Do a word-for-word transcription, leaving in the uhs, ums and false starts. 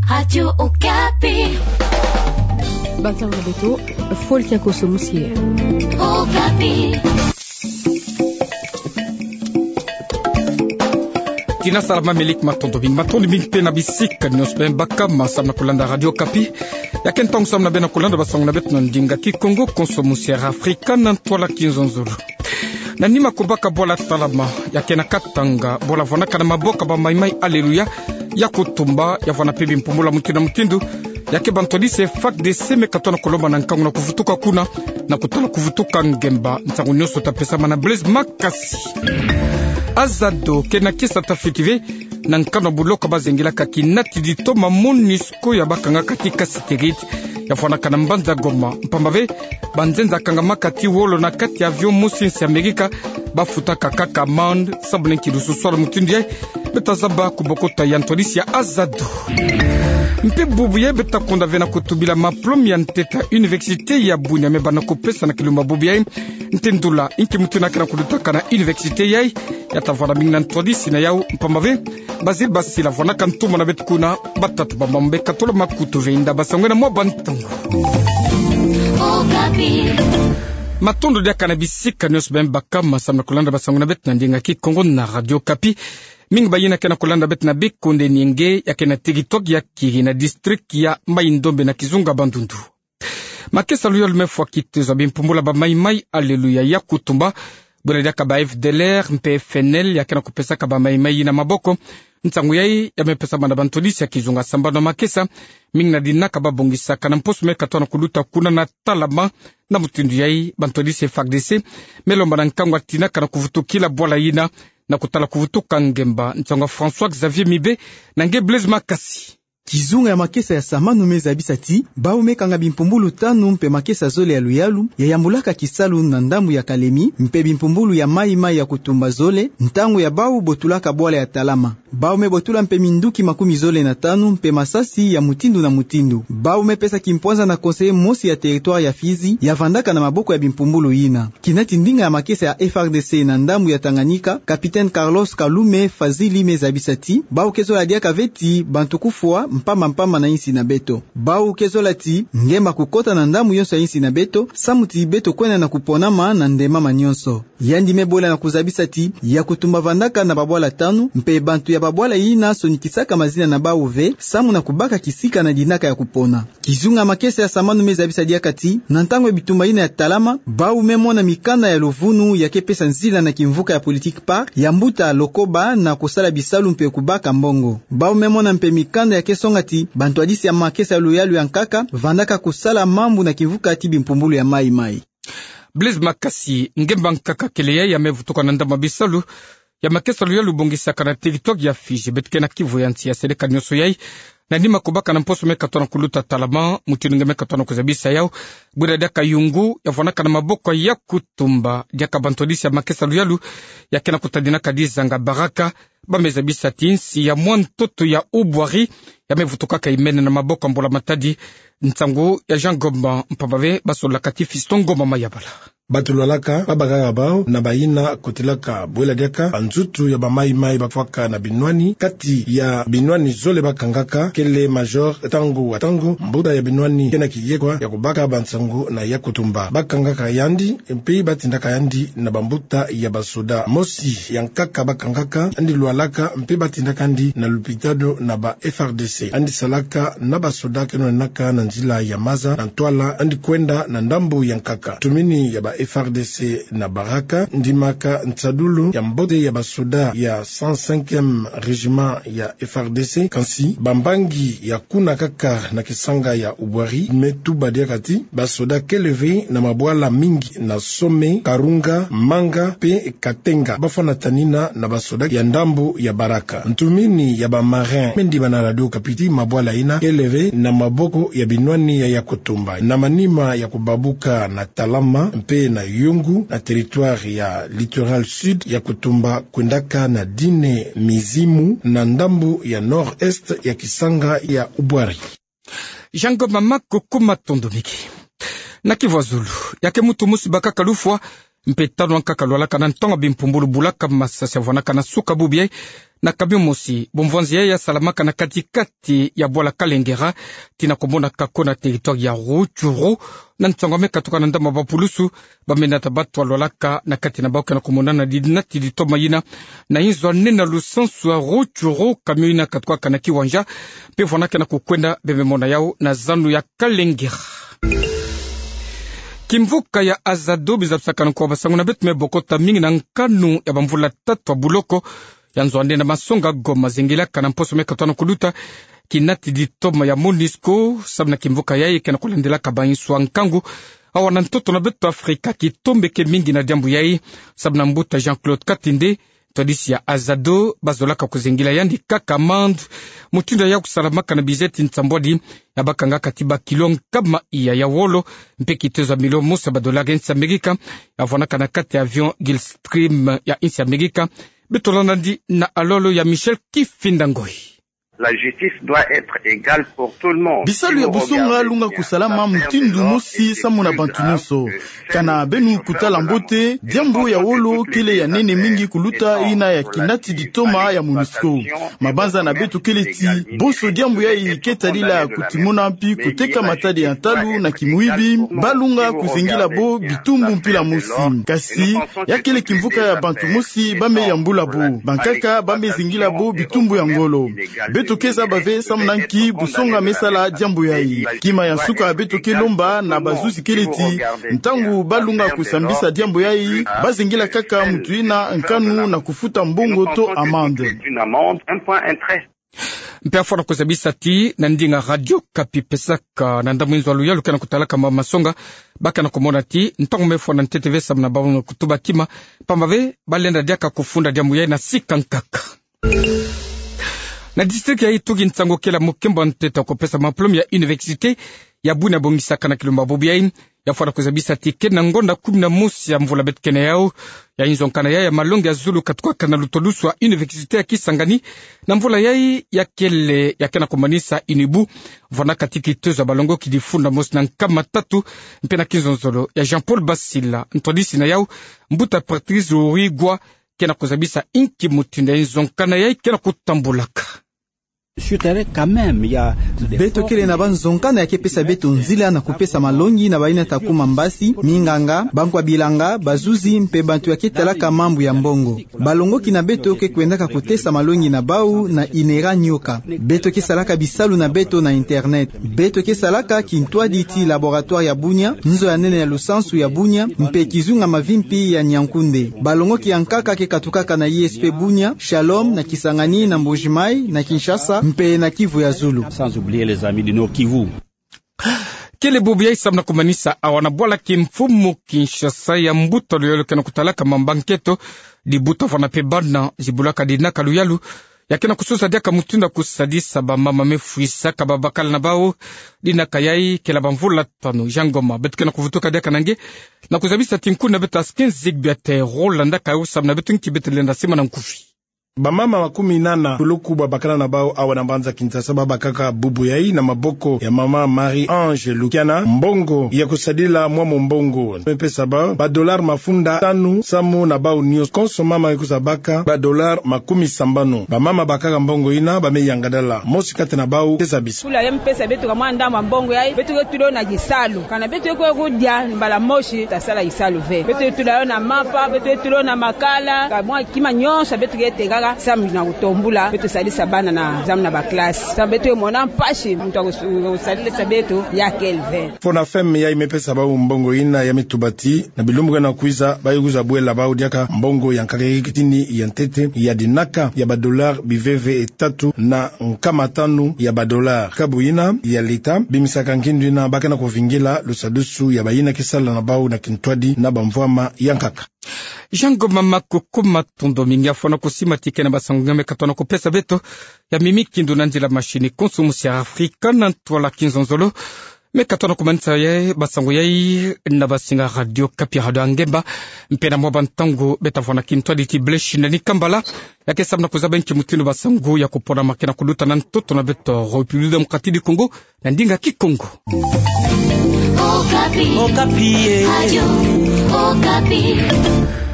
Radio Okapi. Bantu na beto, fo kiakoso musie. Okapi. Tina salama, melik matondo mingi, matondo mingi mpe na bisika nyonso beno baka ma samu na kulanda Radio Okapi. Ya ke ntangu samu na beno kulanda basango na beto na ndinga Kikongo, konso musie Afrika na ntwala Kinzonzolo. Na nima kubaka bwala Talama, ya ke na Katanga, bwala vwanaka na maboko ya ba Maï-Maï Alléluia Yakutumba, ya vwana mpe bimpumbulu mutindu na mutindu, ya ke bantwadisi F A R D C me katono kulomba na nkangu na kuvutuka kuna, na kutala kuvutuka ngemba. Nsangu nyonso ta pesamana na Blaise Makasi. Azado, ke na kisa ta fiti ve, na nkanu buloko bazengilaka kinatidi toma MONUSCO ya bakangaka ti Kasitigit, ya vwanaka na mbanza Goma, mpamba ve banzenza kangamaka ti wolo na kati ya avion mosi nsi Amerika, bafutaka kaka amende, samu na nki lususwala mutindu yayi. Beto ta zaba kubokota ya ntwadisi ya Azado. Mpe bubu yayi beto ta konda ve na kutubila maplome ya ntete ya université ya Bunia me bana kupesa na kilumbu bubu yayi. Nti ndula, nki mutindu na ke na kulutakana na université yayi, ya ta vwanda mingi na ntwadisi na yau, mpamba ve Basil Basila vwanaka ntumwa na beto kuna, batatu ba mambu me katola makutu ve inda basango na mwa bantangu. Matondo diaka na bisika nyonso beno baka ma samu na kulanda basango na beto na ndinga Kikongo na Radio Okapi. Mingi bayina ke na kulanda beto na bikonde ni nge, ya ke na territoire ya Kiri na district ya Maï-Ndombe na kizunga Bandundu. Makesa luyalu me fwa kitezo ya bimpumbulu ya ba Maï-Maï Alléluia Yakutumba, bwela diaka ba F D L R mpe F N L ya ke na kupesaka ba Maï-Maï yina maboko. Nsangu yayi ya me pesamana na bantwadisi ya kizunga sambanu na makesa, mingi na dinaka babongisaka na mposo me katono kuluta kuna na Talama, na mutindu yayi bantwadisi F A R D C me lomba na nkangu ya tinaka na kuvutukila bwala yina, na kutala kuvutuka ngemba. Nsangu ya François Xavier Mibe na nge Blaise Makasi. Kizunga ya makesa ya samanu me zabisa ti, bau me kanga bimpumbulu tanu mpe makesa zole ya luyalu ya yambulaka kisalu na ndambu ya Kalemi, mpe bimpumbulu ya Maï-Maï Yakutumba zole, ntangu ya bau botulaka bwala ya Talama. Bau me botula mpe minduki makumi zole na tanu mpe masasi ya mutindu na mutindu. Bau me pesa kimpwanza na conseiller mosi ya territoire ya Fizi ya vandaka na maboko ya bimpumbulu yina. Kinati ndinga ya makesa ya F A R D C na ndambu ya Tanganyika, capitaine Carlos Kalume Fazili me zabisa ti, bau ke zola diaka ve ti bantu kufwa mpamba mpamba na insi na beto. Bau ke zola ti ngemba kukota na ndambu yonso ya insi na beto, samu ti beto kwenda na kuponama na ndemama nyonso. Yandi me bwela na kuzabisa ti, Yakutumba vandaka na babwala tanu, mpe bantu ya babwala yina sonikisaka mazina na bau ve, samu na kubaka kisika na dinaka ya kupona. Kizunga makesa ya samanu me zabisa diaka ti, na ntangu ya bitumba yina ya Talama, bau me mona mikanda ya luvunu ya ke pesa nzila na kimvuka ya politique PAR ya mbuta Lokoba na kusala bisalu mpe kubaka mbongo. Bau me mona mpe mikanda ya ke songa ti, bantwadisi ya makesa ya luyalu ya nkaka vandaka kusala mambu na kimvuka ti bimpumbulu ya Maï-Maï. Blaise Makasi. Ngemba nkaka kele yayi ya me vutuka na ndambu ya bisalu ya makesa luyalu bongisaka na territoire ya Fizi. Beto ke na kivu ya nsi ya seleka nyonso yayi. Na nima kubaka na mposo me katono kuluta Talama, mutindu nge me katono kuzabisa yau, bwela diaka yungu ya vwanaka na maboko ya Yakutumba, diaka bantwadisi ya makesa luyalu ya ke na kutadinaka dizanga Baraka, ba me zabisa ti nsi ya mwa ntoto ya Ubwari ya me vutukaka imene na maboko ya mbula matadi. Nsangu ya Jean Ngoma, mpamba ve basololaka ti Fiston Ngoma Mayabala. Bato lwalaka, babakaka bau na bayina kotilaka, bwela diaka banzutu ya ba Maï-Maï bafwaka na binwani, kati ya binwani zole bakangaka, kele major Tango wa Tango, mbuta ya binwani, ke na kiyekwa ya kubaka bansangu na Yakutumba. Bakangaka yandi, mpe batindaka yandi na bambuta ya basoda. Mosi ya nkaka bakangaka, yandi lwalaka, mpe batindaka yandi na lupitalu na ba F A R D C. Yandi salaka na basoda ke nwanaka na nzila ya maza na ntwala, yandi kwenda na ndambu ya nkaka. Ntumini ya ba F A R D C na Baraka, ndimaka nsadulu ya mbote ya basoda ya cent cinquième régiment ya F A R D C, kansi bambangi ya kuna kaka na kisanga ya Ubwari me tuba diaka ti, basoda kele ve na mabwala mingi na Some, Karunga, Manga, mpe Katenga, bafwanatani na, na basoda ya ndambu ya Baraka. Ntumini ya ba marin me ndiba na Radio Okapi ti mabwala yina kele ve na maboko ya binwani ya Yakutumba. Na manima ya kubabuka na Talama mpe na Yungu, na territoire ya Littoral Sud, Yakutumba kwendaka na dine mizimu na ndambu ya nord-est ya kisanga ya Ubwari. Jean Ngoma, matondo mingi. Na kivu ya zulu, ya ke muntu mosi bakaka lufwa mpe tanu ankaka lwalaka na ntonga bimpumbulu bulaka masasi ya vwanaka na suka bubu yai na kamion mosi. Bumvwanzi yai yasalamaka na kati-kati ya bwala Kalengera, tina komonaka ko na territoire ya Rutshuru, na nsangu ya me katuka na ndambu ya bapulusu, bamenata bato lwalaka na kati na bau kena komonana di nati di toma yina na inzo ya nene ya lusansu ya Rutshuru. Kamion yina katukaka na kiwanja, mpe vwanaka kena kukwenda, bememona yau na zanu ya Kalengera. Kimvuka ya Azado bizabisakana nkwa basangu na beto me bokota mingi na nkanu ya bamvula tatu ya buloko ya nzo ya nene ya masonga Goma, zingilaka na mposo me katono kuluta kinati di toma ya MONUSCO, samu na kimvuka yai kena kulandelaka bainsu ya nkangu. Awa na ntoto na beto Afrika kitombeke mingi na diambu yai, samu na mbuta Jean-Claude Katende, ntwadisi ya Azado, bazolaka kuzingila yandi kaka amande. Mutindu yai kusalamaka na bizeti nsambwadi, ya bakangaka ti bakilo nkama iya ya wolo, mpe kitezo ya milio mosi ya badolari ya insi ya Amerika, ya vwanaka na kati ya avion Gulfstream ya insi ya Amerika. Beto landa yandi na alolo ya Michel Kifinda Ngoi. La justice doit être égale pour tout le monde. Bisalu ya busonga lunga kusalama mutindu mosi samu na bantu nyonso. Kana beno kutala mbote, diambu ya wolo kele ya nene mingi kuluta yina ya kinati di toma ya MONUSCO. Mabanza na beto kele ti bonso diambu yai ke tadila kutimona mpi kuteka matadi ya ntalu na kimuibi, balunga kuzingila bo bitumbu mpila mosi. Kasi ya kele kimvuka ya bantu mosi ba me yambula bo. Bankaka ba me zingila bo bitumbu ya ngolo. Beto ke zaba ve samu na nki busonga me sala diambu yai. Kima ya nsuka beto ke lomba na bazuzi kele ti, ntangu balunga kusambisa diambu yai, bazingila kaka mutu yina nkanu na kufuta mbongo to amande. Mpe afwana kuzabisa ti na ndinga Radio Okapi pesaka na ndambu inzo ya luyalu kena kutalaka ma masonga, bakana kumona ti ntangu me fwana ntete ve samu na bau na kutuba kima, pamba ve balenda diaka kufunda diambu yai na sika nkaka. Na district ya Ituri, nsangu kele ya mokembo ya ntete kupesa mapolome ya université ya Bunia bongisaka na kilumba bubu yai. Ya fwana kuzabisa ti kele na ngonda kumi na mosi ya mvula beto kele na yau, ya inzo nkana yai ya malongi ya zulu katukaka na lutolusu ya université ya Kisangani. Na mvula yai ya kele ya kele na kumanisa UNIBU, vwanaka ti kitezo ya balongoki di funda mosi na nkama tatu, mpe na kinzonzolo ya Jean-Paul Basila, ntwadisi na yau, mbuta Patrice Urigwa, kele na kuzabisa inki mutindu ya inzo nkana yai kele na kutambulaka. Beto kele na banzonkana ya ke pesa beto nzila na kupesa malongi na bayina ta kuma mbasi, minganga, bankwa bilanga, bazuzi, mpe bantu ya ke talaka mambu ya mbongo. Balongoki na beto ke kwendaka kutesa malongi na bau na INERA Nioka. Beto ke salaka bisalu na beto na internet. Beto ke salaka kintwadi ti laboratoire ya Bunia, nzo ya nene ya lusansu ya Bunia, mpe kizunga mavimpi ya Niankunde. Balongoki ya nkaka ke katukaka na ISP Bunia, Shalom, na Kisangani, na Mbuji-Mayi, na Kinshasa, mpe na Kivu ya zulu. Sans oublier les amis du Nord-Kivu. Kele bubu yai samu na kumanisa awa na bwala kimfumu Kinshasa ya mbuta luyalu kena kutalaka mambu ya nketo, di buta vana mpe bana zibulaka dinaka luyalu, ya kena kusosa diaka mutindu ya kusadisa bamama me fwisaka babakala na bau. Dinaka yai kele ya bamvula tanu. Jean Ngoma, beto kena kuvutuka diaka na nge, na kuzabisa ti nkuna beto Askin Zigbiate Roland, ka yo samu na beto nki beto lenda sima na nkufi. Bamama makumi nana toloku babakala na bau awa na mbanza Kinshasa babakaka bubu yai na maboko ya mama Marie-Ange Lukiana mbongo ya kusadila mwa mombongo. Me pesa bau ba dollars mafunda tanu samu na bau nyonso. Konso mama ke kwiza baka ba dollars makumi sambanu. Bamama bakaka mbongo yina ba me yangadala. Mosi kati na bau ke zabisa. Tula yai me pesa beto ka mwa ndambu ya mbongo yai, beto ke tula yo na kisalu. Kana beto ke kwe kudia mbala mosi, ta sala kisalu ve. Beto ke tula yo na mapa, beto ke tula yo na makala, ka mwa kima nyonso beto ke tekaka, samu na kutombula, beto sadisa bana na, samu na ba classe. Samu beto ke mona mpasi, muntu ya kus-, kusadisa beto, ya kele ve. Fonafem yai me pesa bau mbongo yina ya me tuba ti, na bilumbu kena kwiza, ba ke kwiza bwela bau diaka mbongo ya nkaka ya kitini ya ntete, ya dinaka, ya ba dollars biveve tatu na nkama tanu ya ba dollars. Kabu yina ya leta, bimisaka ngindu yina ba kena kuvingila lusadusu ya bayina ke sala na bau na kintwadi na bamvwama ya nkaka. Jean Ngoma, mako kuma tondo mingi, afwana kusima ti kele na basangu nga me katono kupesa beto, ya mimi kindu na nzila machine konso musi ya Afrika na ntwala kinzonzolo. Me katono kumanisa yai, basangu yai, na basinga Radio Okapi, Radio ya Ngemba. Mpe na mwa bantangu, beta vwa na kintwadi ti Blaise Shindani Kambala, ya ke samu na kuzaba nki mutindu basangu ya kupona ma kena kuluta na ntoto na beto République Démocratique du Congo, na ndinga Kikongo. Okapi. Okapi, eh. Radio Okapi.